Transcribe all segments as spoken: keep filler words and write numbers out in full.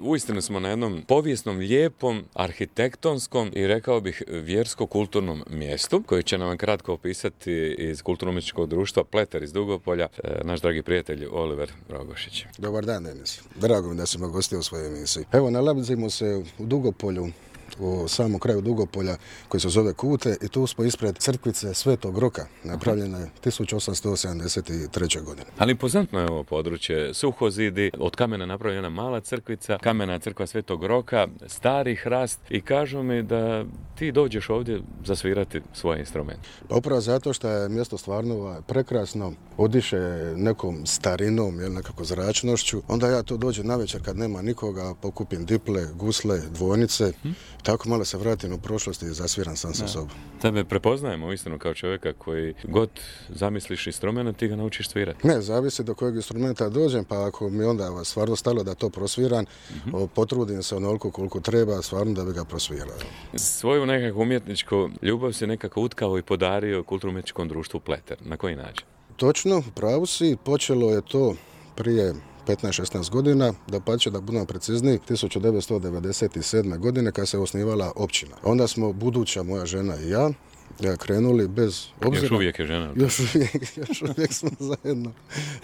uistinu smo na jednom povijesnom, lijepom, arhitektonskom i rekao bih vjersko-kulturnom mjestu koji će nam kratko opisati iz kulturno-umjetničkog društva Pleter iz Dugopolja, naš dragi prijatelj Oliver Rogošić. Dobar dan, Denis. Drago mi da si me gostio u svojoj emisiji. Evo, nalazimo se u Dugopolju, u samom kraju Dugopolja koji se zove Kute i tu smo ispred crkvice Svetog Roka, napravljena je tisuću osamsto sedamdeset treće. godine. Ali impozantno je ovo područje, suhozidi, od kamena napravljena mala crkvica, kamena crkva Svetog Roka, stari hrast i kažu mi da ti dođeš ovdje zasvirati svoje instrumente. Pa upravo zato što je mjesto stvarno prekrasno, odiše nekom starinom, jel, nekako zračnošću, onda ja tu dođem navečer kad nema nikoga, pokupim diple, gusle, dvojnice, hm? Tako malo se vratim u prošlost i zasviram sam sa sobom. Tebe prepoznajemo uistinu kao čovjeka koji god zamisliš instrument, ti ga naučiš svirati. Ne, zavisi do kojeg instrumenta dođem, pa ako mi onda stvarno stalo da to prosviram, uh-huh. potrudim se onoliko koliko treba, stvarno da bi ga prosvirao. Svoju nekakvu umjetničku ljubav si nekako utkao i podario kulturno-umjetničkom društvu Pleter. Na koji način? Točno, pravu si, počelo je to prije petnaest šesnaest godina, da pa će da budemo precizniji, tisuću devetsto devedeset sedme. godine kad se osnivala općina. Onda smo, buduća moja žena i ja, ja krenuli bez obzira. Još uvijek je žena. Još uvijek, još uvijek smo zajedno.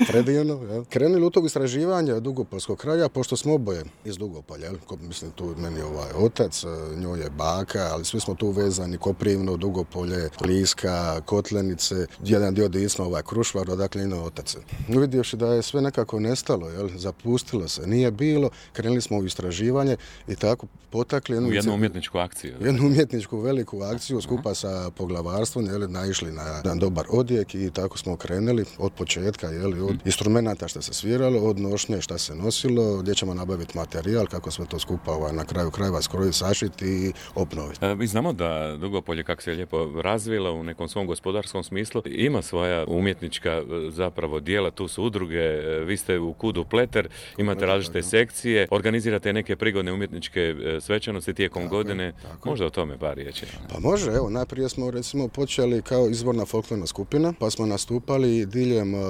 Predivno, ja. Krenuli u tog istraživanja Dugopolskog kraja, pošto smo oboje iz Dugopolja, jel? Mislim, tu meni je ovaj otac, njoj je baka, ali svi smo tu vezani, Koprivno, Dugopolje, Liska, Kotlenice, jedan dio Disma, ovaj Krušvar, odakle ino otac. Uvidjevši da je sve nekako nestalo, jel? Zapustilo se, nije bilo, krenuli smo u istraživanje i tako potakli jednu, u jednu umjetničku akciju. Jednu umjetničku veliku akciju skupa sa poglavarstvom, jel, naišli na jedan dobar odjek i tako smo krenuli od početka, jel, od instrumenata što se sviralo, od nošnje što se nosilo, gdje ćemo nabaviti materijal, kako sve to skupa ovaj, na kraju krajeva skrojiti, sašiti i obnoviti. E, mi znamo da Dugopolje, kako se je lijepo razvila u nekom svom gospodarskom smislu, ima svoja umjetnička zapravo dijela, tu su udruge, vi ste u Kudu Pleter, imate različite sekcije, organizirate neke prigodne umjetničke svečanosti tijekom tako, godine, tako. Možda o tome par riječi. Pa može, evo, najprije smo recimo počeli kao izvorna folklorna skupina, pa smo nastupali diljem uh,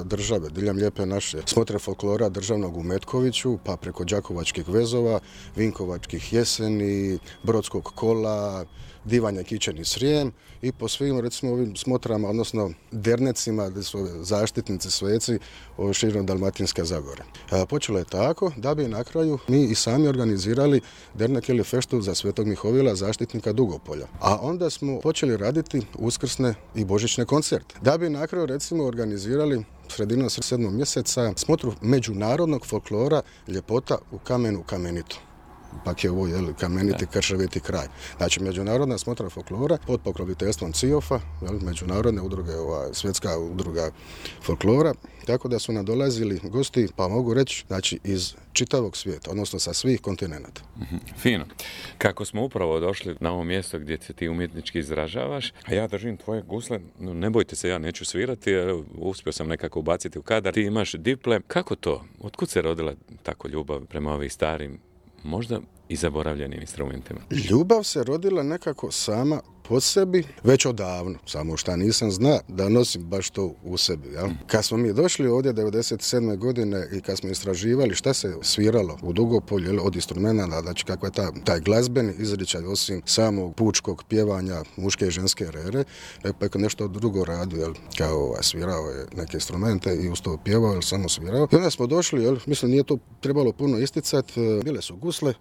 države, diljem lijepe naše smotre folklora državnog u Metkoviću, pa preko Đakovačkih vezova, Vinkovačkih jeseni, Brodskog kola, Divanja Kičeni Srijem i po svim recimo ovim smotrama, odnosno dernecima gdje su zaštitnici sveci širom Dalmatinske Zagore. A, počelo je tako da bi na kraju mi i sami organizirali dernek ili feštu za Svetog Mihovila, zaštitnika Dugopolja. A onda smo počeli raditi uskrsne i božićne koncerte. Da bi na kraju recimo organizirali sredinom sedmog mjeseca smotru međunarodnog folklora Ljepota u kamenu kamenitu. Pak je ovo jel, kameniti krševiti kraj. Znači, međunarodna smotra folklora pod pokroviteljstvom C I O F-a, jel, međunarodne udruge, ova, svjetska udruga folklora, tako da su nadolazili gosti, pa mogu reći, znači, iz čitavog svijeta, odnosno sa svih kontinenata. Mm-hmm. Fino. Kako smo upravo došli na ovo mjesto gdje se ti umjetnički izražavaš, a ja držim tvoje gusle, no, ne bojte se, ja neću svirati, jer uspio sam nekako ubaciti u kadar. Ti imaš diple. Kako to? Otkud se rodila tako ljubav prema ovim starim, možda i zaboravljenim instrumentima? Ljubav se rodila nekako sama po sebi već odavno, samo šta nisam zna da nosim baš to u sebi. Jel? Kad smo mi došli ovdje devedeset sedme. godine i kad smo istraživali šta se sviralo u Dugopolju, jel, od instrumenta, znači kako je ta, taj glazbeni izričaj osim samog pučkog pjevanja muške i ženske rere, pa je nešto drugo radio, jel, kao ovaj, svirao je neke instrumente i uz to pjevao, jel, samo svirao. I onda smo došli, jel, mislim nije to trebalo puno isticati, bile su gusle,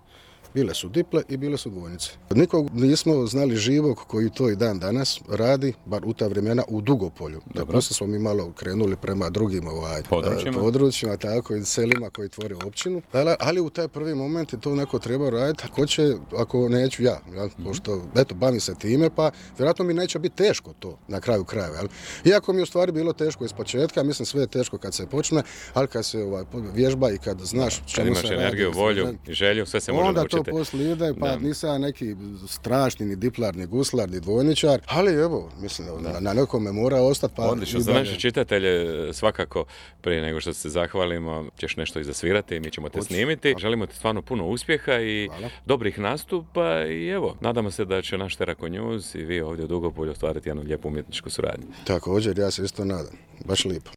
bile su diple i bile su dvojnice. Nikog nismo znali živog koji to i dan danas radi, bar u ta vremena, u Dugopolju. Dobro smo mi malo krenuli prema drugim ovaj, područjima. područjima, tako i selima koji tvore općinu. Ali, ali u taj prvi moment je to neko treba raditi. Ako će, ako neću ja, jel? Mm-hmm. Pošto, eto, bavim se time, pa vjerojatno mi neće biti teško to na kraju krajeva. Jel? Iako mi je u stvari bilo teško iz početka, mislim sve je teško kad se počne, ali kad se ovaj, vježba i kad znaš čemu se radi. Kad imaš energiju, volju i želju, sve se može naučiti. To poslije ide, pa da. Nisam neki strašni ni diplar, ni guslar, ni dvojničar, ali evo, mislim, na, na nekome mora ostati. Pa odlično, za naše čitatelje svakako, prije nego što se zahvalimo, ćeš nešto i zasvirati i mi ćemo te Uč. snimiti. Želimo ti stvarno puno uspjeha i Hvala. dobrih nastupa i evo, nadamo se da će naš Terako News i vi ovdje u Dugopolju ostvariti jednu lijepu umjetničku suradnju. Također, ja se isto nadam. Baš lijepo.